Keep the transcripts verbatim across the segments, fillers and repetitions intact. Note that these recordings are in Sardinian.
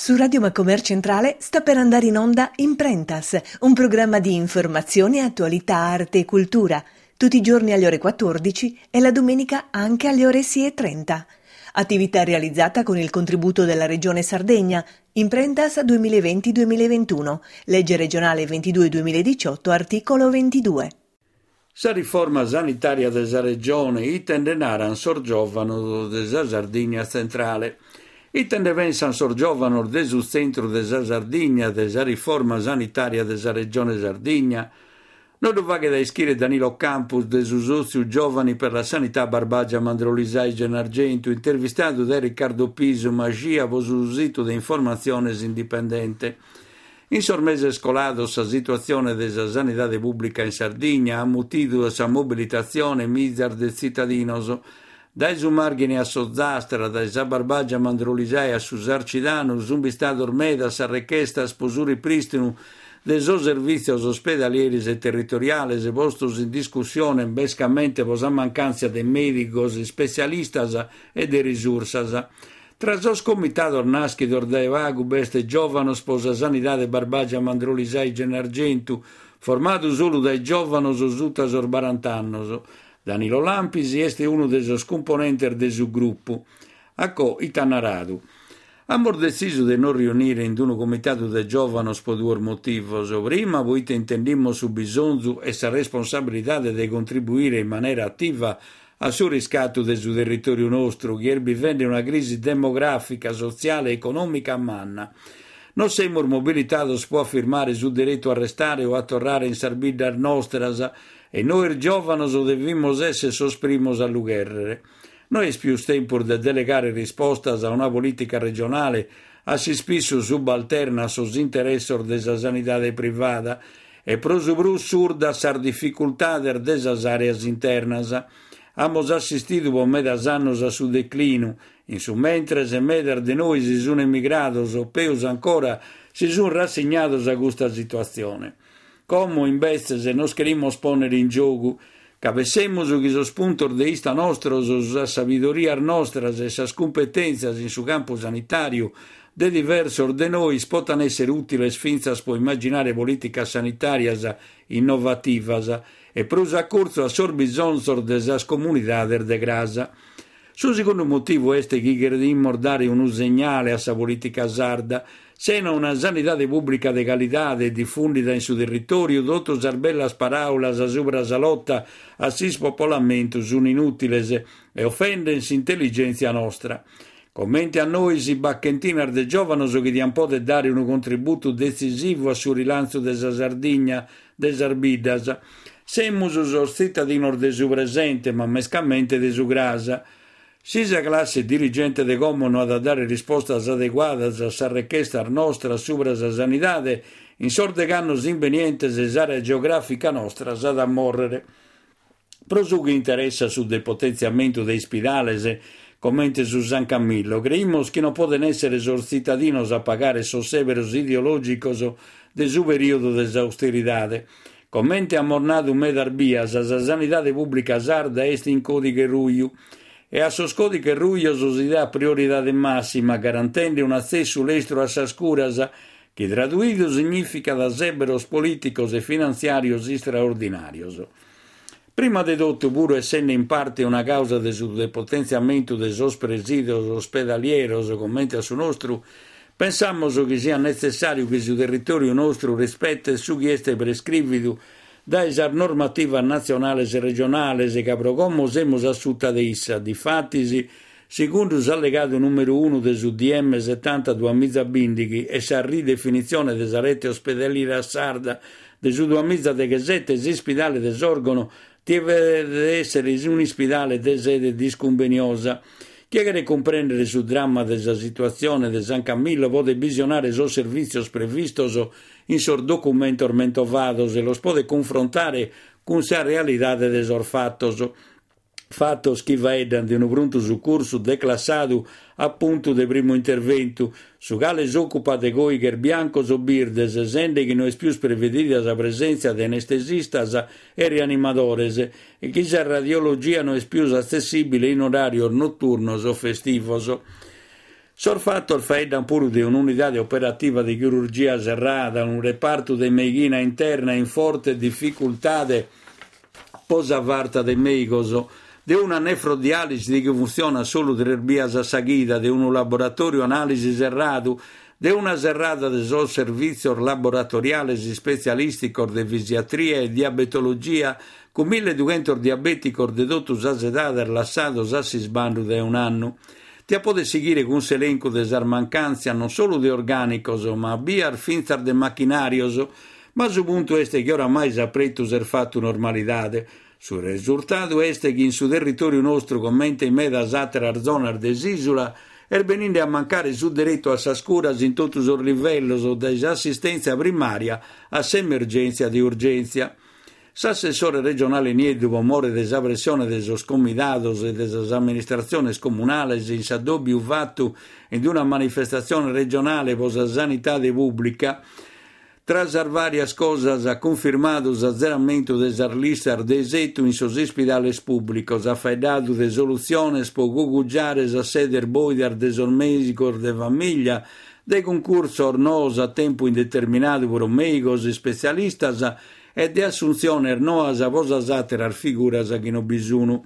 Su Radio Macomer Centrale sta per andare in onda Imprentas, un programma di informazione, attualità, arte e cultura, tutti i giorni alle ore quattordici e la domenica anche alle ore sei e trenta. Attività realizzata con il contributo della Regione Sardegna, Imprentas duemilaventi duemilaventuno, legge regionale ventidue duemiladiciotto, articolo ventidue. Sa riforma sanitaria de sa regione ite nde naran sos giovanos de sa Sardigna tzentrale. Ite nde pensan sos giovanos de su tzentru de sa Sardigna de sa riforma sanitaria de sa Regione Sardigna? No ddu faghet a ischire Danilo Campus de su Sòtziu Giovani per la Sanità Barbagia Mandrolisai Gennargentu, intervistadu dae Riccardo Pisu Maxia pro su situ de informatziones Indipendente. In sos meses colados sa situatzione de sa sanidade pùblica in Sardigna at mutidu a sa mobilitatzione mizas de tzitadinos. Dae su Marghine a s'Ozastra, dae sa Barbagia Mandrolisai a su Sarcidanu sunt bistados medas sas rechestas pro su riprìstinu de sos servìtzios ospedalieris e territoriales postos in discussione mescamente pro sa mancàntzia de mèdicos ispetzialistas e de risursas. Tra sos comitados nàschidos dae pagu b'est Giòvanos pro sa Sanidade Barbagia Mandrolisai Gennargentu, formadu solu dae giòvanos suta sos baranta annos. Danilo Lampis est unu de sos cumponentes de su grupu. Acò ite at naradu. Amus detzisu de nos riunire in unu comitadu de giòvanos pro duos motivos. Prima, poite intendimus su bisonzu e sa responsabilidade de contribuire in manera ativa a su riscatu de su territòriu nostru, chi est bivende una crisi demogràfica, sotziale e econòmica manna. Nos semus mobilitados pro afirmare su deretu a restare o a torrare in sas biddas nostras e nois giòvanos devimus èssere sos primos a lu chèrrere. No est pius tempus de delegare rispostas a una polìtica regionale a s'ispissu subalterna a sos interessos de sa sanidade privada e pro su prus surda a sas dificultades de sas àreas internas. Amus assistidu pro medas annos a su declinu, in su mentres medas de nois si sun emigrados o peus ancora si sun rassignados a custa situatzione. Como, imbetzes, nos cherimus pònnere in giogu, ca pensemus chi sos puntos de ista nostros, sas sabidorias nostras e sas cumpetèntzias in su campu sanitàriu de diversos de nois potan èssere ùtiles fintzas pro immaginare polìticas sanitàrias innovativas e prus a curtzu a sos bisonzos de sas comunidades de cras. Su segundu motivu est chi cherimus dare unu segnale a sa polìtica sarda. Sena una sanidade pùblica de calidade difùndida in su territòriu, totu sas bellas paràulas subra sa lota a s'ispopolamentu sunt inùtiles e ofenden s'intelligèntzia nostra. Comente a nois b'at chentinas de giòvanos chi diant pòdere dare unu contributu detzisivu a su rilantzu de sa Sardigna, de sas biddas. Semus sos tzitadinos de su presente, ma mescamente de su cras. Si sa classe dirigente de como no at a dare rispostas adeguadas a sas rechestas nostras subra sa sanidade, in sos deg'annos imbenientes s'àrea geogràfica nostra s'at a mòrrere. Pro su chi interessat su depotentziamentu de ispidales, comente su San Camillo, creimus chi non poden èssere sos tzitadinos a pagare sos sèberos ideològicos de su perìodu de s'austeridade. Comente amus nadu medas bias, sa sanidade pùblica sarda est in còdighe ruju e a sos còdighes rujos si dat prioridade màssima, garantende un'atzessu lestru a sas curas, chi traduidu signìficat sèberos polìticos e finantziàrios istraordinàrios. Prima de totu, puru essende in parte una càusa de su depotentziamentu de sos presìdios ospedalieros comente a su nostru, pensamus chi siat netzessàriu chi su territòriu nostru rispetet su chi est prescrìvidu dae sas normativas natzionales e regionales, ca pro como semus a suta de issa. Difatis, segundu s'allegadu nùmeru unu de su D M setanta duamiza bìndighi e sa ridefinitzione de sa rete ospedaliera sarda de su duamiza deghesete, s'ispidale de Sòrgono devet èssere un'ispidale de sede discumbeniosa. Chie cheret cumprèndere su dramma de sa situatzione de San Camillo podet bisionare sos servìtzios previstos in sos documentos mentovados e los podet cunfrontare cun sa realidade de sos fatos. Fatos chi faeddan de unu prontu sucursu declassadu a puntu de primu interventu, su cale s'òcupat de còighes biancos o birdes, sende chi no est pius prevedida sa presèntzia de anestesistas e rianimadores e chi sa radiologia no est pius atzessìbile in oràrios noturnos o festivos. Sos fattos faeddan puru de un'unidade operativa de chirurgia serrada, unu repartu de meighina interna in forte dificultade po sa farta de meigos, de una nefrodialisi chi funtzionat solu tres bias a sa chida, de unu laboratoriu analisi serradu, de una serrada de sos servìtzios laboratoriales ispetzialìsticos de fisiatria e diabetologia cun milledughentos diabèticos de totu sas edades lassados a s'isbandu dae un'annu. Tia poder sighire cun s'elencu de sas mancàntzias non solu de orgànicos, ma a bias fintzas de machinàrios, ma su puntu est chi oramai s'apretu s'est fatu normalidade. Su resurtadu est chi in su territòriu nostru, comente in medas àteras zonas de s'ìsula, est beninde a mancare su deretu a sas curas in totu sos livellos, dae s'assistèntzia primària a s'emergèntzia de urgèntzia. S'assessore regionale Nieddu, pro more de sa pressione de sos comidados e de sas amministratziones comunales in s'addòbiu fatu in una manifestatzione regionale pro sa sanidade pùblica, tra sas vàrias cosas at cunfirmadu s'azeramentu de sas listas de isetu in sos ispidales pùblicos, at faeddadu de solutziones pro cugugiare sas sedes bòidas de sos mèigos de famìlia, de cuncursos noos a tempu indeterminadu pro mèigos ispetzialistas e de assuntziones noas pro sas àteras figuras chi non bi sun,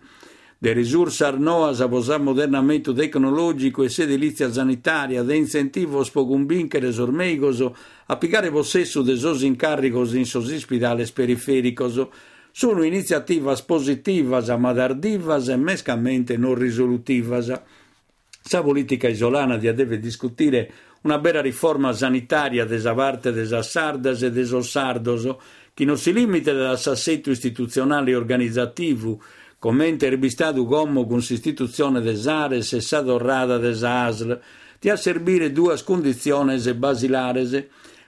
de risursas noas pro s'ammodernamentu tecnològicu e s'edilìtzia sanitària, de intzentivos pro cumbìnchere sos mèigos a pigare possessu de sos incàrrigos in sos ispidales perifèricos. Sono initziativas positivas, ma tardivas e mescamente non risolutivas. Sa polìtica isolana diat dever discutire una bera riforma sanitària de sa parte de sas sardas e de sos sardos, chi non si limitet a s'assetu istitutzionale e organizativu, comente est bistadu como cun s'istitutzione de s'Ares e sa torrada de sa ASL, tiat serbire duas cunditziones basilares.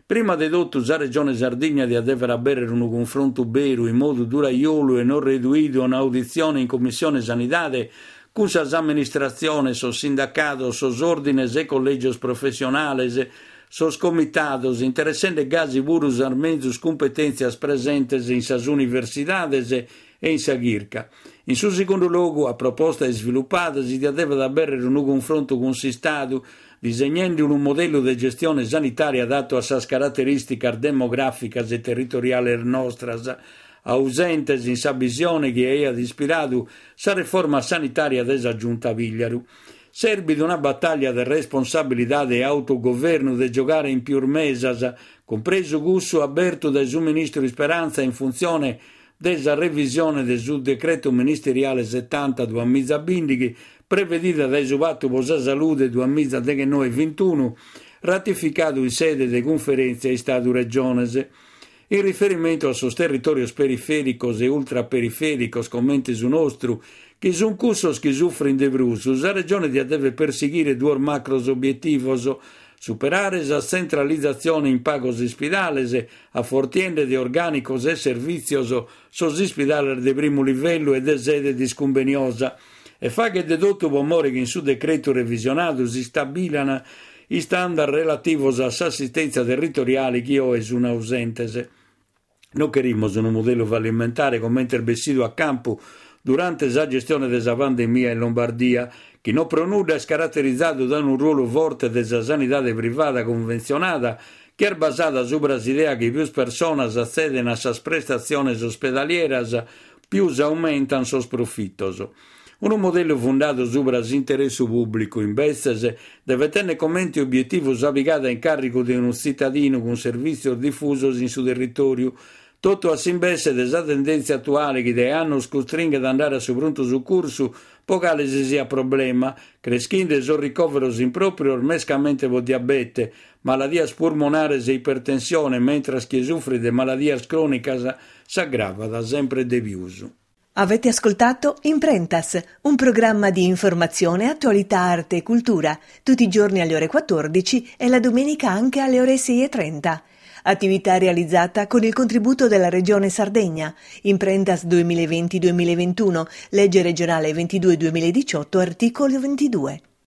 Prima de totu, sa Regione Sardigna diat dever abèrrere unu cunfrontu beru in modu duraiolu e non reduidu a un'auditzione in Commissione Sanidade cun sas amministratziones, sos sindacados, sos òrdines e collègios professionales, sos comitados, interessende gasi puru sas menzus cumpetèntzias presentes in sas universidades e in sa chirca. In su segundu logu, a proposta isvilupada, si diat dever abèrrere unu cunfrontu cun s'Istadu, disegnende unu modellu de gestione sanitària adattu a sas caraterìsticas demogràficas e territoriales nostras, ausentes in sa bisione chi aiat ispiradu sa reforma sanitària de sa Giunta Pigliaru. Serbit una batalla de responsabilidade e autogovernu de giogare in pius mesas, cumpresu cussu abertu dae su ministru Speranza in funtzione de sa revisione de su decretu ministeriale setanta duamiza bìndighi, prevedida dae su Patu pro sa Salude duamiza deghennoe vintunu, ratificadu in sede de cunferèntzia Istadu-Regiones. In riferimentu a sos territòrios perifèricos e ultraperifèricos comente su nostru, chi sunt cussos chi sufrint de prus, sa Regione diat dever persighire duos macros obietivos: superare sa tzentralizatzione in pagos ispidales, afortiende de orgànicos e servìtzios sos ispidales de primu livellu e de sede discumbeniosa, e faghet de totu pro more chi in su decretu revisionadu s'istabilan istandard relativos a s'assistèntzia territoriale chi oe sunt ausentes. Non cherimus unu modellu fallimentare comente est bessidu a campu durante sa gestione de sa pandemia in Lombardia, chi non pro nudda est caraterizadu dae unu ruolu forte de sa sanidade privada cunventzionada, chi est basada subra s'idea chi pius personas atzeden a sas prestatziones ospedalieras, pius aumentan sos profitos. Unu modellu fundadu subra s'interessu pùblicu, imbetzes, devet tènnere comente obietivu sa pigada in càrrigu de unu tzitadinu cun servìtzios difusos in su territòriu, totu a s'imbesse de sa tendèntzia atuale chi dae annos custringhet a andare a su prontu sucursu pro cale si siat problema, creschinde sos ricòveros impròprios mescamente pro diabete, maladias purmonares e ipertensione, mentras chi sufrit de maladias crònicas s'aggravat sempre de pius. Avete ascoltato Imprentas, un programma di informazione, attualità, arte e cultura, tutti i giorni alle ore quattordici e la domenica anche alle ore sei e trenta. Attività realizzata con il contributo della Regione Sardegna. Imprentas duemilaventi duemilaventuno, legge regionale ventidue duemiladiciotto, articolo ventidue.